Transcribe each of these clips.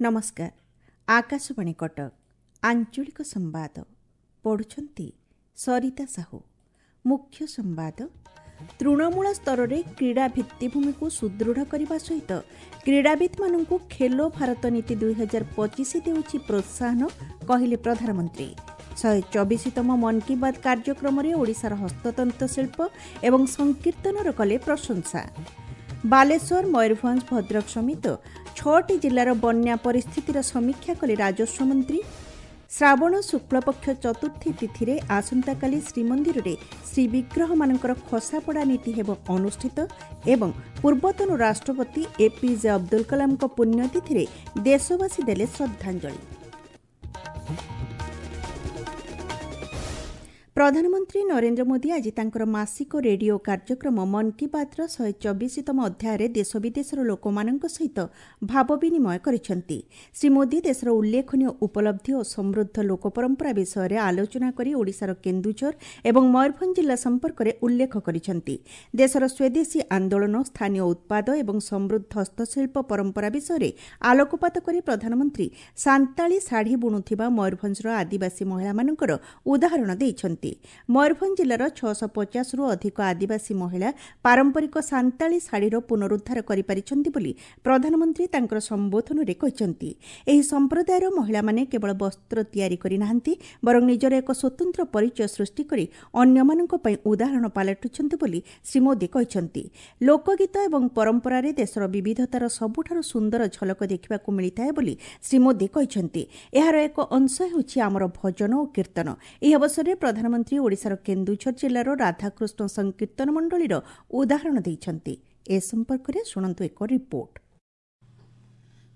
ନମସ୍କାର, ଆକାଶବାଣୀ କଟକ, ଆଞ୍ଚଳିକ ସମ୍ବାଦ ପଢ଼ୁଛନ୍ତି ସରିତା ସାହୁ। ମୁଖ୍ୟ ସମ୍ବାଦ। ତୃଣମୂଳ ସ୍ତରରେ କ୍ରୀଡ଼ା ଭିତ୍ତିଭୂମିକୁ ସୁଦୃଢ଼ କରିବା ସହିତ କ୍ରୀଡ଼ାବିତ୍ମାନଙ୍କୁ ଖେଲୋ ଭାରତ ନୀତି 2025 ଦେଉଛି ପ୍ରୋତ୍ସାହନ, କହିଲେ ପ୍ରଧାନମନ୍ତ୍ରୀ। 124ତମ ମନ୍ କି ବାତ୍ କାର୍ଯ୍ୟକ୍ରମରେ ଓଡ଼ିଶାର ହସ୍ତତନ୍ତ ଶିଳ୍ପ ଏବଂ ସଂକୀର୍ତ୍ତନର କଲେ ପ୍ରଶଂସା। ବାଲେଶ୍ୱର, ମୟୂରଭଞ୍ଜ, ଭଦ୍ରକ ସମେତ 6ଟି ଜିଲ୍ଲାର ବନ୍ୟା ପରିସ୍ଥିତିର ସମୀକ୍ଷା କଲେ ରାଜସ୍ୱ ମନ୍ତ୍ରୀ। ଶ୍ରାବଣ ଶୁକ୍ଳପକ୍ଷ ଚତୁର୍ଥୀ ତିଥିରେ ଆସନ୍ତାକାଲି ଶ୍ରୀମନ୍ଦିରରେ ଶ୍ରୀବିଗ୍ରହମାନଙ୍କର ଖସାପଡ଼ା ନୀତି ହେବ ଅନୁଷ୍ଠିତ ଏବଂ ପୂର୍ବତନ ରାଷ୍ଟ୍ରପତି ଏପିଜେ ଅବଦୁଲ କଲାମଙ୍କ ପୁଣ୍ୟତିଥିରେ ଦେଶବାସୀ ଦେଲେ ଶ୍ରଦ୍ଧାଞ୍ଜଳି। ପ୍ରଧାନମନ୍ତ୍ରୀ ନରେନ୍ଦ୍ର ମୋଦି ଆଜି ତାଙ୍କର ମାସିକ ରେଡିଓ କାର୍ଯ୍ୟକ୍ରମ ମନ୍ କି ବାତ୍ର 124ତମ ଅଧ୍ୟାୟରେ ଦେଶ ବିଦେଶର ଲୋକମାନଙ୍କ ସହିତ ଭାବ ବିନିମୟ କରିଛନ୍ତି। ଶ୍ରୀ ମୋଦି ଦେଶର ଉଲ୍ଲେଖନୀୟ ଉପଲବ୍ଧି ଓ ସମୃଦ୍ଧ ଲୋକ ପରମ୍ପରା ବିଷୟରେ ଆଲୋଚନା କରି ଓଡ଼ିଶାର କେନ୍ଦୁଝର ଏବଂ ମୟୂରଭଞ୍ଜ ଜିଲ୍ଲା ସମ୍ପର୍କରେ ଉଲ୍ଲେଖ କରିଛନ୍ତି। ଦେଶର ସ୍ୱଦେଶୀ ଆନ୍ଦୋଳନ, ସ୍ଥାନୀୟ ଉତ୍ପାଦ ଏବଂ ସମୃଦ୍ଧ ହସ୍ତଶିଳ୍ପ ପରମ୍ପରା ବିଷୟରେ ଆଲୋକପାତ କରି ପ୍ରଧାନମନ୍ତ୍ରୀ ସାନ୍ତାଳୀ ଶାଢ଼ୀ ବୁଣୁଥିବା ମୟୂରଭଞ୍ଜର ଆଦିବାସୀ ମହିଳାମାନଙ୍କର ଉଦାହରଣ ଦେଇଛନ୍ତି। ମୟୂରଭଞ୍ଜ ଜିଲ୍ଲାର 650ରୁ ଅଧିକ ଆଦିବାସୀ ମହିଳା ପାରମ୍ପରିକ ସାନ୍ତାଳୀ ଶାଢ଼ୀର ପୁନରୁଦ୍ଧାର କରିପାରିଛନ୍ତି ବୋଲି ପ୍ରଧାନମନ୍ତ୍ରୀ ତାଙ୍କର ସମ୍ବୋଧନରେ କହିଛନ୍ତି। ଏହି ସମ୍ପ୍ରଦାୟର ମହିଳାମାନେ କେବଳ ବସ୍ତ୍ର ତିଆରି କରିନାହାନ୍ତି, ବରଂ ନିଜର ଏକ ସ୍ୱତନ୍ତ୍ର ପରିଚୟ ସୃଷ୍ଟି କରି ଅନ୍ୟମାନଙ୍କ ପାଇଁ ଉଦାହରଣ ପାଲଟିଛନ୍ତି ବୋଲି ଶ୍ରୀ ମୋଦି କହିଛନ୍ତି। ଲୋକଗୀତ ଏବଂ ପରମ୍ପରାରେ ଦେଶର ବିବିଧତାର ସବୁଠାରୁ ସୁନ୍ଦର ଝଲକ ଦେଖିବାକୁ ମିଳିଥାଏ ବୋଲି ଶ୍ରୀ ମୋଦି କହିଛନ୍ତି। ଏହାର ଏକ ଅଂଶ ହେଉଛି ଆମର ଭଜନ ଓ କୀର୍ତ୍ତନ। ଏହି ଅବସରରେ ପ୍ରଧାନମନ୍ତ୍ରୀ ଓଡ଼ିଶାର କେନ୍ଦୁଝର ଜିଲ୍ଲାର ରାଧାକୃଷ୍ଣ ସଂକୀର୍ତ୍ତନ ମଣ୍ଡଳୀର ଉଦାହରଣ ଦେଇଛନ୍ତି। ଏ ସମ୍ପର୍କରେ ଶୁଣନ୍ତୁ ଏକ ରିପୋର୍ଟ।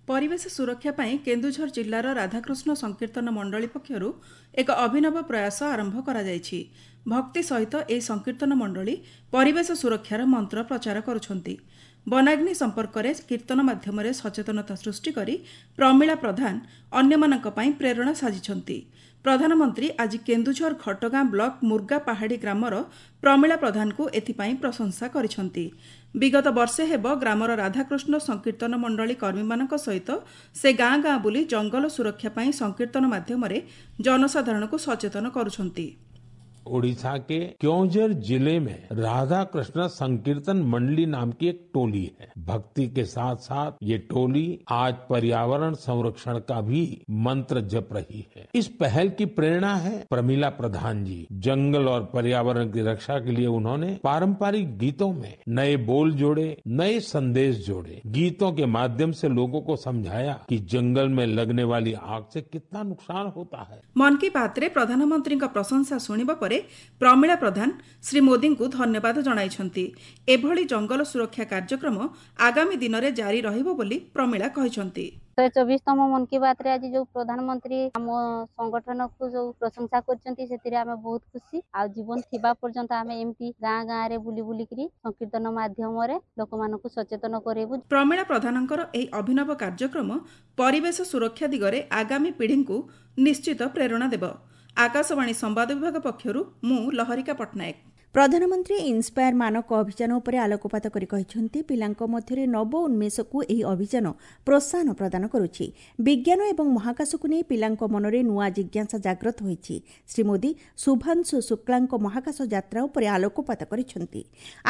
ପରିବେଶ ସୁରକ୍ଷା ପାଇଁ କେନ୍ଦୁଝର ଜିଲ୍ଲାର ରାଧାକୃଷ୍ଣ ସଂକୀର୍ତ୍ତନ ମଣ୍ଡଳୀ ପକ୍ଷରୁ ଏକ ଅଭିନବ ପ୍ରୟାସ ଆରମ୍ଭ କରାଯାଇଛି। ଭକ୍ତି ସହିତ ଏହି ସଂକୀର୍ତ୍ତନ ମଣ୍ଡଳୀ ପରିବେଶ ସୁରକ୍ଷାର ମନ୍ତ୍ର ପ୍ରଚାର କରୁଛନ୍ତି। ବନାଗ୍ନି ସମ୍ପର୍କରେ କୀର୍ତ୍ତନ ମାଧ୍ୟମରେ ସଚେତନତା ସୃଷ୍ଟି କରି ପ୍ରମିଳା ପ୍ରଧାନ ଅନ୍ୟମାନଙ୍କ ପାଇଁ ପ୍ରେରଣା ସାଜିଛନ୍ତି। ପ୍ରଧାନମନ୍ତ୍ରୀ ଆଜି କେନ୍ଦୁଝର ଘଟଗାଁ ବ୍ଲକ ମୁର୍ଗା ପାହାଡ଼ି ଗ୍ରାମର ପ୍ରମିଳା ପ୍ରଧାନଙ୍କୁ ଏଥିପାଇଁ ପ୍ରଶଂସା କରିଛନ୍ତି। ବିଗତ ବର୍ଷେ ହେବ ଗ୍ରାମର ରାଧାକୃଷ୍ଣ ସଂକୀର୍ତ୍ତନ ମଣ୍ଡଳୀ କର୍ମୀମାନଙ୍କ ସହିତ ସେ ଗାଁ ଗାଁ ବୁଲି ଜଙ୍ଗଲ ସୁରକ୍ଷା ପାଇଁ ସଂକୀର୍ତ୍ତନ ମାଧ୍ୟମରେ ଜନସାଧାରଣଙ୍କୁ ସଚେତନ କରୁଛନ୍ତି। ओडिशा के क्योंझर जिले में राधा कृष्ण संकीर्तन मंडली नाम की एक टोली है। भक्ति के साथ साथ ये टोली आज पर्यावरण संरक्षण का भी मंत्र जप रही है। इस पहल की प्रेरणा है प्रमिला प्रधान जी। जंगल और पर्यावरण की रक्षा के लिए उन्होंने पारंपरिक गीतों में नए बोल जोड़े, नए संदेश जोड़े। गीतों के माध्यम से लोगों को समझाया कि जंगल में लगने वाली आग से कितना नुकसान होता है। ମନ୍ କି ବାତ୍ରେ ପ୍ରଧାନମନ୍ତ୍ରୀଙ୍କ ପ୍ରଶଂସା ଶୁଣିବା ପରେ ପ୍ରମିଳା ପ୍ରଧାନ ଶ୍ରୀ ମୋଦିଙ୍କୁ ଧନ୍ୟବାଦ ଜଣାଇଛନ୍ତି। ଏଭଳି ଜଙ୍ଗଲ ସୁରକ୍ଷା କାର୍ଯ୍ୟକ୍ରମ ଆଗାମୀ ଦିନରେ ଜାରି ରହିବ ବୋଲି ପ୍ରମିଳା କହିଛନ୍ତି। 124ତମ ମନ୍ କି ବାତ୍ରେ ଆଜି ଯୋଉ ପ୍ରଧାନମନ୍ତ୍ରୀ ଆମ ସଂଗଠନକୁ ଯୋଉ ପ୍ରଶଂସା କରିଛନ୍ତି, ସେଥିରେ ଆମେ ବହୁତ ଖୁସି। ଆଉ ଜୀବନ ଥିବା ପର୍ଯ୍ୟନ୍ତ ଆମେ ଏମିତି ଗାଁ ଗାଁରେ ବୁଲି ବୁଲିକିରି ସଂକୀର୍ତ୍ତନ ମାଧ୍ୟମରେ ଲୋକମାନଙ୍କୁ ସଚେତନ କରେଇବୁ। ପ୍ରମିଳା ପ୍ରଧାନଙ୍କର ଏହି ଅଭିନବ କାର୍ଯ୍ୟକ୍ରମ ପରିବେଶ ସୁରକ୍ଷା ଦିଗରେ ଆଗାମୀ ପିଢ଼ିଙ୍କୁ ନିଶ୍ଚିତ ପ୍ରେରଣା ଦେବ। ଆକାଶବାଣୀ ସମ୍ବାଦ ବିଭାଗ ପକ୍ଷରୁ ମୁଁ ଲହରିକା ପଟ୍ଟନାୟକ। ପ୍ରଧାନମନ୍ତ୍ରୀ ଇନ୍ସପାୟାର ମାନକ ଅଭିଯାନ ଉପରେ ଆଲୋକପାତ କରି କହିଛନ୍ତି, ପିଲାଙ୍କ ମଧ୍ୟରେ ନବ ଉନ୍ମେଷକୁ ଏହି ଅଭିଯାନ ପ୍ରୋତ୍ସାହନ ପ୍ରଦାନ କରୁଛି। ବିଜ୍ଞାନ ଏବଂ ମହାକାଶକୁ ନେଇ ପିଲାଙ୍କ ମନରେ ନୂଆ ଜିଜ୍ଞାସା ଜାଗ୍ରତ ହୋଇଛି। ଶ୍ରୀ ମୋଦି ଶୁଭାଂଶୁ ଶୁକ୍ଲାଙ୍କ ମହାକାଶ ଯାତ୍ରା ଉପରେ ଆଲୋକପାତ କରିଛନ୍ତି।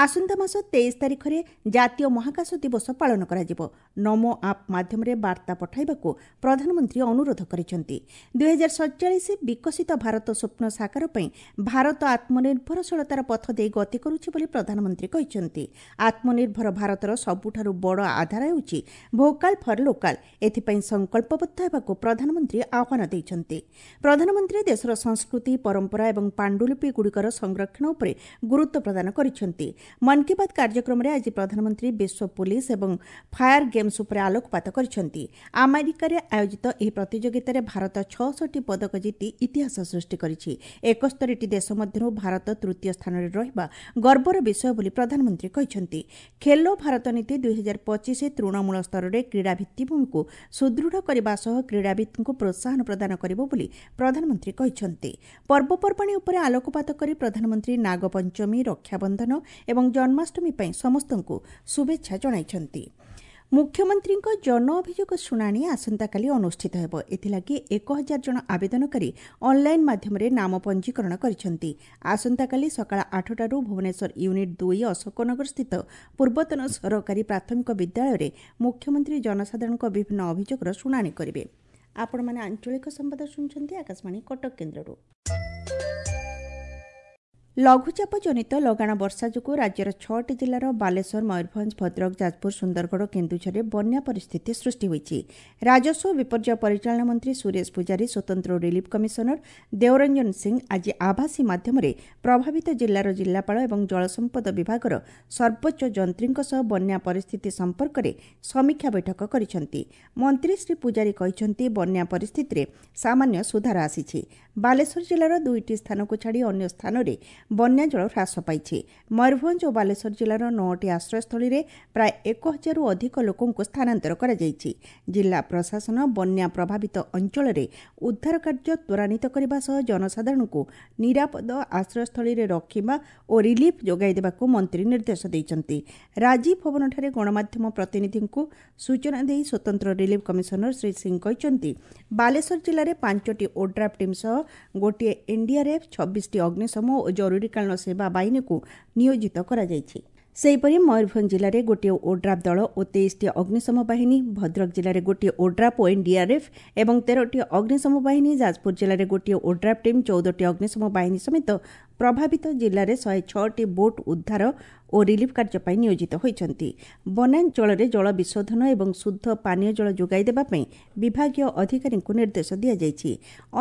ଆସନ୍ତା ମାସ 23 ତାରିଖରେ ଜାତୀୟ ମହାକାଶ ଦିବସ ପାଳନ କରାଯିବ। ନମୋ ଆପ୍ ମାଧ୍ୟମରେ ବାର୍ତ୍ତା ପଠାଇବାକୁ ପ୍ରଧାନମନ୍ତ୍ରୀ ଅନୁରୋଧ କରିଛନ୍ତି। 2047 ବିକଶିତ ଭାରତ ସ୍ୱପ୍ନ ସାକାର ପାଇଁ ଭାରତ ଆତ୍ମନିର୍ଭରଶୀଳତାର ପଥ ଦେଇ ଗତି କରୁଛି ବୋଲି ପ୍ରଧାନମନ୍ତ୍ରୀ କହିଛନ୍ତି। ଆତ୍ମନିର୍ଭର ଭାରତର ସବୁଠାରୁ ବଡ଼ ଆଧାର ହେଉଛି ଭୋକାଲ ଫର୍ ଲୋକାଲ। ଏଥିପାଇଁ ସଂକଳ୍ପବଦ୍ଧ ହେବାକୁ ପ୍ରଧାନମନ୍ତ୍ରୀ ଆହ୍ୱାନ ଦେଇଛନ୍ତି। ପ୍ରଧାନମନ୍ତ୍ରୀ ଦେଶର ସଂସ୍କୃତି, ପରମ୍ପରା ଏବଂ ପାଣ୍ଡୁଲିପିଗୁଡ଼ିକର ସଂରକ୍ଷଣ ଉପରେ ଗୁରୁତ୍ୱ ପ୍ରଦାନ କରିଛନ୍ତି। ମନ୍ କି ବାତ୍ କାର୍ଯ୍ୟକ୍ରମରେ ଆଜି ପ୍ରଧାନମନ୍ତ୍ରୀ ବିଶ୍ୱ ପୁଲିସ ଏବଂ ଫାୟାର ଗେମ୍ସ ଉପରେ ଆଲୋକପାତ କରିଛନ୍ତି। ଆମେରିକାରେ ଆୟୋଜିତ ଏହି ପ୍ରତିଯୋଗିତାରେ ଭାରତ 66 ପଦକ ଜିତି ଇତିହାସ ସୃଷ୍ଟି କରିଛି। 71ଟି ଦେଶ ମଧ୍ୟରୁ ଭାରତ ତୃତୀୟ ସ୍ଥାନରେ ରହିବା ଗର୍ବର ବିଷୟ ବୋଲି ପ୍ରଧାନମନ୍ତ୍ରୀ କହିଛନ୍ତି। ଖେଲୋ ଭାରତ ନୀତି 2025 ତୃଣମୂଳ ସ୍ତରରେ କ୍ରୀଡ଼ା ଭିତ୍ତିଭୂମିକୁ ସୁଦୃଢ଼ କରିବା ସହ କ୍ରୀଡ଼ାବିତ୍ଙ୍କୁ ପ୍ରୋତ୍ସାହନ ପ୍ରଦାନ କରିବ ବୋଲି ପ୍ରଧାନମନ୍ତ୍ରୀ କହିଛନ୍ତି। ପର୍ବପର୍ବାଣୀ ଉପରେ ଆଲୋକପାତ କରି ପ୍ରଧାନମନ୍ତ୍ରୀ ନାଗପଞ୍ଚମୀ, ରକ୍ଷାବନ୍ଧନ ଏବଂ ଜନ୍ମାଷ୍ଟମୀ ପାଇଁ ସମସ୍ତଙ୍କୁ ଶୁଭେଚ୍ଛା ଜଣାଇଛନ୍ତି। ମୁଖ୍ୟମନ୍ତ୍ରୀଙ୍କ ଜନ ଅଭିଯୋଗ ଶୁଣାଣି ଆସନ୍ତାକାଲି ଅନୁଷ୍ଠିତ ହେବ। ଏଥିଲାଗି 1000 ଜଣ ଆବେଦନକାରୀ ଅନ୍ଲାଇନ୍ ମାଧ୍ୟମରେ ନାମ ପଞ୍ଜୀକରଣ କରିଛନ୍ତି। ଆସନ୍ତାକାଲି ସକାଳ 8ଟାରୁ ଭୁବନେଶ୍ୱର ୟୁନିଟ୍ 2 ଅଶୋକନଗର ସ୍ଥିତ ପୂର୍ବତନ ସରକାରୀ ପ୍ରାଥମିକ ବିଦ୍ୟାଳୟରେ ମୁଖ୍ୟମନ୍ତ୍ରୀ ଜନସାଧାରଣଙ୍କ ବିଭିନ୍ନ ଅଭିଯୋଗର ଶୁଣାଣି କରିବେ। ଆପଣମାନେ ଆଞ୍ଚଳିକ ସମ୍ବାଦ ଶୁଣୁଛନ୍ତି ଆକାଶବାଣୀ କଟକ କେନ୍ଦ୍ରରୁ। ଲଘୁଚାପ ଜନିତ ଲଗାଣ ବର୍ଷା ଯୋଗୁଁ ରାଜ୍ୟର 6ଟି ଜିଲ୍ଲାର ବାଲେଶ୍ୱର, ମୟୂରଭଞ୍ଜ, ଭଦ୍ରକ, ଯାଜପୁର, ସୁନ୍ଦରଗଡ଼ ଓ କେନ୍ଦୁଝରରେ ବନ୍ୟା ପରିସ୍ଥିତି ସୃଷ୍ଟି ହୋଇଛି। ରାଜସ୍ୱ ବିପର୍ଯ୍ୟୟ ପରିଚାଳନା ମନ୍ତ୍ରୀ ସୁରେଶ ପୂଜାରୀ, ସ୍ୱତନ୍ତ୍ର ରିଲିଫ୍ କମିଶନର ଦେଓରଞ୍ଜନ ସିଂ ଆଜି ଆଭାସୀ ମାଧ୍ୟମରେ ପ୍ରଭାବିତ ଜିଲ୍ଲାର ଜିଲ୍ଲାପାଳ ଏବଂ ଜଳସମ୍ପଦ ବିଭାଗର ସର୍ବୋଚ୍ଚ ଯନ୍ତ୍ରୀଙ୍କ ସହ ବନ୍ୟା ପରିସ୍ଥିତି ସମ୍ପର୍କରେ ସମୀକ୍ଷା ବୈଠକ କରିଛନ୍ତି। ମନ୍ତ୍ରୀ ଶ୍ରୀ ପୂଜାରୀ କହିଛନ୍ତି, ବନ୍ୟା ପରିସ୍ଥିତିରେ ସାମାନ୍ୟ ସୁଧାର ଆସିଛି। ବାଲେଶ୍ୱର ଜିଲ୍ଲାର 2ଟି ସ୍ଥାନକୁ ଛାଡ଼ି ଅନ୍ୟ ସ୍ଥାନରେ ବନ୍ୟାଜଳ ହ୍ରାସ ପାଇଛି। ମୟୂରଭଞ୍ଜ ଓ ବାଲେଶ୍ୱର ଜିଲ୍ଲାର 9ଟି ଆଶ୍ରୟସ୍ଥଳୀରେ ପ୍ରାୟ 1000ରୁ ଅଧିକ ଲୋକଙ୍କୁ ସ୍ଥାନାନ୍ତର କରାଯାଇଛି। ଜିଲ୍ଲା ପ୍ରଶାସନ ବନ୍ୟା ପ୍ରଭାବିତ ଅଞ୍ଚଳରେ ଉଦ୍ଧାର କାର୍ଯ୍ୟ ତ୍ୱରାନ୍ୱିତ କରିବା ସହ ଜନସାଧାରଣଙ୍କୁ ନିରାପଦ ଆଶ୍ରୟସ୍ଥଳୀରେ ରଖିବା ଓ ରିଲିଫ୍ ଯୋଗାଇ ଦେବାକୁ ମନ୍ତ୍ରୀ ନିର୍ଦ୍ଦେଶ ଦେଇଛନ୍ତି। ରାଜୀବ ଭବନଠାରେ ଗଣମାଧ୍ୟମ ପ୍ରତିନିଧିଙ୍କୁ ସୂଚନା ଦେଇ ସ୍ୱତନ୍ତ୍ର ରିଲିଫ୍ କମିଶନର ଶ୍ରୀ ସିଂ କହିଛନ୍ତି, ବାଲେଶ୍ୱର ଜିଲ୍ଲାରେ 5ଟି ଓଡ୍ରାଫ୍ ଟିମ୍ ସହ ଗୋଟିଏ ଏନ୍ଡିଆର୍ଏଫ୍, 26ଟି ଅଗ୍ନିଶମ ଓ ଜରୁରୀକାଳୀନ ସେବା ବାହିନୀକୁ ନିୟୋଜିତ କରାଯାଇଛି। ସେହିପରି ମୟୂରଭଞ୍ଜ ଜିଲ୍ଲାରେ ଗୋଟିଏ ଓଡ୍ରାଫ୍ ଦଳ ଓ 23ଟି ଅଗ୍ନିଶମ ବାହିନୀ, ଭଦ୍ରକ ଜିଲ୍ଲାରେ ଗୋଟିଏ ଓଡ୍ରାଫ୍ ଓ ଏନ୍ଡିଆର୍ଏଫ୍ ଏବଂ 13ଟି ଅଗ୍ନିଶମ ବାହିନୀ, ଯାଜପୁର ଜିଲ୍ଲାରେ ଗୋଟିଏ ଓଡ୍ରାଫ୍ ଟିମ୍, 14ଟି ଅଗ୍ନିଶମ ବାହିନୀ ସମେତ ପ୍ରଭାବିତ ଜିଲ୍ଲାରେ 106ଟି ବୋଟ୍ ଉଦ୍ଧାର ଓ ରିଲିଫ୍ କାର୍ଯ୍ୟ ପାଇଁ ନିୟୋଜିତ ହୋଇଛନ୍ତି। ବନାଞ୍ଚଳରେ ଜଳ ବିଶୋଧନ ଏବଂ ଶୁଦ୍ଧ ପାନୀୟ ଜଳ ଯୋଗାଇ ଦେବା ପାଇଁ ବିଭାଗୀୟ ଅଧିକାରୀଙ୍କୁ ନିର୍ଦ୍ଦେଶ ଦିଆଯାଇଛି।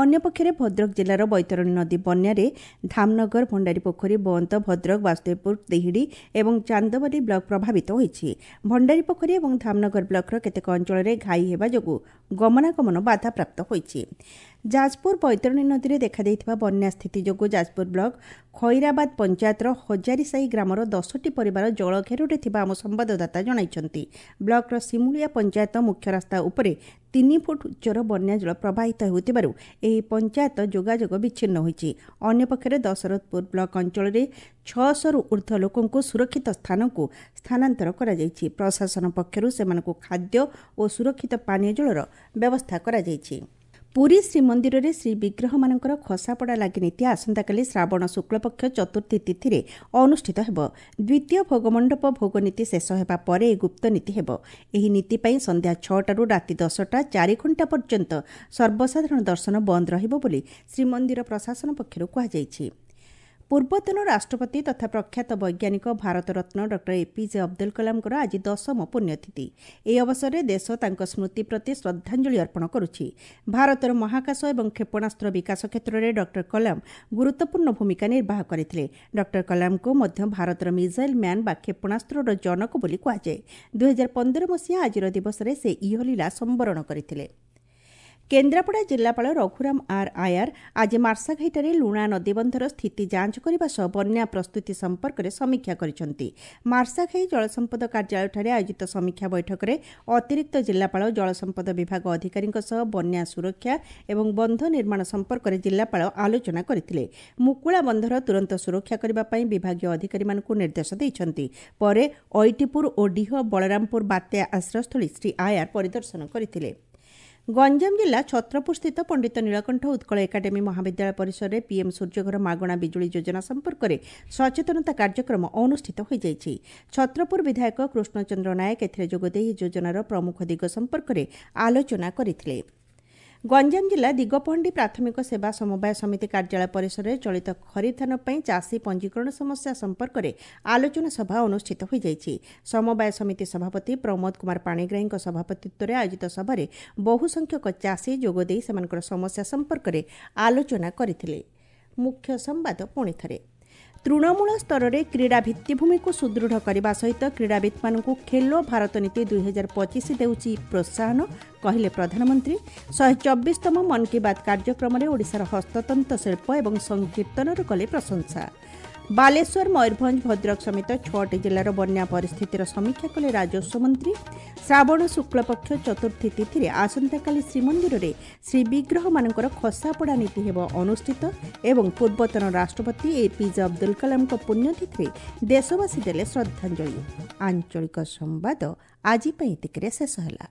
ଅନ୍ୟପକ୍ଷରେ ଭଦ୍ରକ ଜିଲ୍ଲାର ବୈତରଣୀ ନଦୀ ବନ୍ୟାରେ ଧାମନଗର, ଭଣ୍ଡାରୀପୋଖରୀ, ବନ୍ତ, ଭଦ୍ରକ, ବାସୁଦେବପୁର, ତିହିଡ଼ି ଏବଂ ଚାନ୍ଦବାଲି ବ୍ଲକ ପ୍ରଭାବିତ ହୋଇଛି। ଭଣ୍ଡାରୀପୋଖରୀ ଏବଂ ଧାମନଗର ବ୍ଲକର କେତେକ ଅଞ୍ଚଳରେ ଘାଇ ହେବା ଯୋଗୁଁ ଗମନାଗମନ ବାଧାପ୍ରାପ୍ତ ହୋଇଛି। ଯାଜପୁର ବୈତରଣୀ ନଦୀରେ ଦେଖାଦେଇଥିବା ବନ୍ୟା ସ୍ଥିତି ଯୋଗୁଁ ଯାଜପୁର ବ୍ଲକ ଖଇରାବାଦ ପଞ୍ଚାୟତର ହଜାରୀସାହି ଗ୍ରାମର 10ଟି ପରିବାର ଜଳଘେରରେ ଥିବା ଆମ ସମ୍ବାଦଦାତା ଜଣାଇଛନ୍ତି। ବ୍ଲକର ସିମୁଳିଆ ପଞ୍ଚାୟତ ମୁଖ୍ୟ ରାସ୍ତା ଉପରେ 3 ଫୁଟ ଉଚ୍ଚର ବନ୍ୟାଜଳ ପ୍ରବାହିତ ହେଉଥିବାରୁ ଏହି ପଞ୍ଚାୟତ ଯୋଗାଯୋଗ ବିଚ୍ଛିନ୍ନ ହୋଇଛି। ଅନ୍ୟପକ୍ଷରେ ଦଶରଥପୁର ବ୍ଲକ ଅଞ୍ଚଳରେ 600ରୁ ଉର୍ଦ୍ଧ୍ୱ ଲୋକଙ୍କୁ ସୁରକ୍ଷିତ ସ୍ଥାନକୁ ସ୍ଥାନାନ୍ତର କରାଯାଇଛି। ପ୍ରଶାସନ ପକ୍ଷରୁ ସେମାନଙ୍କୁ ଖାଦ୍ୟ ଓ ସୁରକ୍ଷିତ ପାନୀୟ ଜଳର ବ୍ୟବସ୍ଥା କରାଯାଇଛି। ପୁରୀ ଶ୍ରୀମନ୍ଦିରରେ ଶ୍ରୀବିଗ୍ରହମାନଙ୍କର ଖସାପଡ଼ା ଲାଗି ନୀତି ଆସନ୍ତାକାଲି ଶ୍ରାବଣ ଶୁକ୍ଳପକ୍ଷ ଚତୁର୍ଥୀ ତିଥିରେ ଅନୁଷ୍ଠିତ ହେବ। ଦ୍ୱିତୀୟ ଭୋଗମଣ୍ଡପ ଭୋଗ ନୀତି ଶେଷ ହେବା ପରେ ଏହି ଗୁପ୍ତ ନୀତି ହେବ। ଏହି ନୀତି ପାଇଁ ସନ୍ଧ୍ୟା 6ଟାରୁ ରାତି 10ଟା 4 ଘଣ୍ଟା ପର୍ଯ୍ୟନ୍ତ ସର୍ବସାଧାରଣ ଦର୍ଶନ ବନ୍ଦ ରହିବ ବୋଲି ଶ୍ରୀମନ୍ଦିର ପ୍ରଶାସନ ପକ୍ଷରୁ କୁହାଯାଇଛି। ପୂର୍ବତନ ରାଷ୍ଟ୍ରପତି ତଥା ପ୍ରଖ୍ୟାତ ବୈଜ୍ଞାନିକ ଭାରତରତ୍ନ ଡକ୍ଟର ଏପିଜେ ଅବଦୁଲ କଲାମଙ୍କର ଆଜି 10ମ ପୁଣ୍ୟତିଥି। ଏହି ଅବସରରେ ଦେଶ ତାଙ୍କ ସ୍ମୃତି ପ୍ରତି ଶ୍ରଦ୍ଧାଞ୍ଜଳି ଅର୍ପଣ କରୁଛି। ଭାରତର ମହାକାଶ ଏବଂ କ୍ଷେପଣାସ୍ତ୍ର ବିକାଶ କ୍ଷେତ୍ରରେ ଡକ୍ଟର କଲାମ ଗୁରୁତ୍ୱପୂର୍ଣ୍ଣ ଭୂମିକା ନିର୍ବାହ କରିଥିଲେ। ଡକ୍ଟର କଲାମଙ୍କୁ ମଧ୍ୟ ଭାରତର ମିଜାଇଲ୍ ମ୍ୟାନ୍ ବା କ୍ଷେପଣାସ୍ତ୍ରର ଜନକ ବୋଲି କୁହାଯାଏ। 2015 ମସିହା ଆଜିର ଦିବସରେ ସେ ଇହଲୀଳା ସମ୍ବରଣ କରିଥିଲେ। କେନ୍ଦ୍ରାପଡ଼ା ଜିଲ୍ଲାପାଳ ରଘୁରାମ ଆର୍ ଆୟାର ଆଜି ମାର୍ଶାଘାଇଠାରେ ଲୁଣା ନଦୀବନ୍ଧର ସ୍ଥିତି ଯାଞ୍ଚ କରିବା ସହ ବନ୍ୟା ପ୍ରସ୍ତୁତି ସମ୍ପର୍କରେ ସମୀକ୍ଷା କରିଛନ୍ତି। ମାର୍ଶାଘାଇ ଜଳସମ୍ପଦ କାର୍ଯ୍ୟାଳୟଠାରେ ଆୟୋଜିତ ସମୀକ୍ଷା ବୈଠକରେ ଅତିରିକ୍ତ ଜିଲ୍ଲାପାଳ, ଜଳସମ୍ପଦ ବିଭାଗ ଅଧିକାରୀଙ୍କ ସହ ବନ୍ୟା ସୁରକ୍ଷା ଏବଂ ବନ୍ଧ ନିର୍ମାଣ ସମ୍ପର୍କରେ ଜିଲ୍ଲାପାଳ ଆଲୋଚନା କରିଥିଲେ। ମୁକୁଳା ବନ୍ଧର ତୁରନ୍ତ ସୁରକ୍ଷା କରିବା ପାଇଁ ବିଭାଗୀୟ ଅଧିକାରୀମାନଙ୍କୁ ନିର୍ଦ୍ଦେଶ ଦେଇଛନ୍ତି। ପରେ ଐଟିପୁର ଓ ଡିହ ବଳରାମପୁର ବାତ୍ୟା ଆଶ୍ରୟସ୍ଥଳୀ ଶ୍ରୀ ଆୟାର ପରିଦର୍ଶନ କରିଥିଲେ। ଗଞ୍ଜାମ ଜିଲ୍ଲା ଛତ୍ରପୁରସ୍ଥିତ ପଣ୍ଡିତ ନୀଳକଣ୍ଠ ଉତ୍କଳ ଏକାଡେମୀ ମହାବିଦ୍ୟାଳୟ ପରିସରରେ ପିଏମ୍ ସୂର୍ଯ୍ୟଘର ମାଗଣା ବିଜୁଳି ଯୋଜନା ସମ୍ପର୍କରେ ସଚେତନତା କାର୍ଯ୍ୟକ୍ରମ ଅନୁଷ୍ଠିତ ହୋଇଯାଇଛି। ଛତ୍ରପୁର ବିଧାୟକ କୃଷ୍ଣଚନ୍ଦ୍ର ନାୟକ ଏଥିରେ ଯୋଗଦେଇ ଏହି ଯୋଜନାର ପ୍ରମୁଖ ଦିଗ ସମ୍ପର୍କରେ ଆଲୋଚନା କରିଥିଲେ। ଗଞ୍ଜାମ ଜିଲ୍ଲା ଦିଗପହଣ୍ଡି ପ୍ରାଥମିକ ସେବା ସମବାୟ ସମିତି କାର୍ଯ୍ୟାଳୟ ପରିସରରେ ଚଳିତ ଖରିଫ ଧାନ ପାଇଁ ଚାଷୀ ପଞ୍ଜୀକରଣ ସମସ୍ୟା ସମ୍ପର୍କରେ ଆଲୋଚନା ସଭା ଅନୁଷ୍ଠିତ ହୋଇଯାଇଛି। ସମବାୟ ସମିତି ସଭାପତି ପ୍ରମୋଦ କୁମାର ପାଣିଗ୍ରାହୀଙ୍କ ସଭାପତିତ୍ୱରେ ଆୟୋଜିତ ସଭାରେ ବହୁ ସଂଖ୍ୟକ ଚାଷୀ ଯୋଗଦେଇ ସେମାନଙ୍କର ସମସ୍ୟା ସମ୍ପର୍କରେ ଆଲୋଚନା କରିଥିଲେ। ମୁଖ୍ୟ ସମ୍ବାଦ ପୁଣି ଥରେ। ତୃଣମୂଳ ସ୍ତରରେ କ୍ରୀଡ଼ା ଭିତ୍ତିଭୂମିକୁ ସୁଦୃଢ଼ କରିବା ସହିତ କ୍ରୀଡ଼ାବିତ୍ମାନଙ୍କୁ ଖେଲୋ ଭାରତ ନୀତି 2025 ଦେଉଛି ପ୍ରୋତ୍ସାହନ, କହିଲେ ପ୍ରଧାନମନ୍ତ୍ରୀ। 124ତମ ମନ୍ କି ବାତ୍ କାର୍ଯ୍ୟକ୍ରମରେ ଓଡ଼ିଶାର ହସ୍ତତନ୍ତ ଶିଳ୍ପ ଏବଂ ସଂକୀର୍ତ୍ତନର କଲେ ପ୍ରଶଂସା। ବାଲେଶ୍ୱର, ମୟୂରଭଞ୍ଜ, ଭଦ୍ରକ ସମେତ 6ଟି ଜିଲ୍ଲାର ବନ୍ୟା ପରିସ୍ଥିତିର ସମୀକ୍ଷା କଲେ ରାଜସ୍ୱ ମନ୍ତ୍ରୀ। ଶ୍ରାବଣ ଶୁକ୍ଳପକ୍ଷ ଚତୁର୍ଥୀ ତିଥିରେ ଆସନ୍ତାକାଲି ଶ୍ରୀମନ୍ଦିରରେ ଶ୍ରୀବିଗ୍ରହମାନଙ୍କର ଖସାପଡ଼ା ନୀତି ହେବ ଅନୁଷ୍ଠିତ। ଏବଂ ପୂର୍ବତନ ରାଷ୍ଟ୍ରପତି ଏପିଜେ ଅବଦୁଲ କଲାମଙ୍କ ପୁଣ୍ୟତିଥିରେ ଦେଶବାସୀ ଦେଲେ ଶ୍ରଦ୍ଧାଞ୍ଜଳି। ଆଞ୍ଚଳିକ ସମ୍ବାଦ ଆଜି ପାଇଁ ଏତିକିରେ ଶେଷ ହେଲା।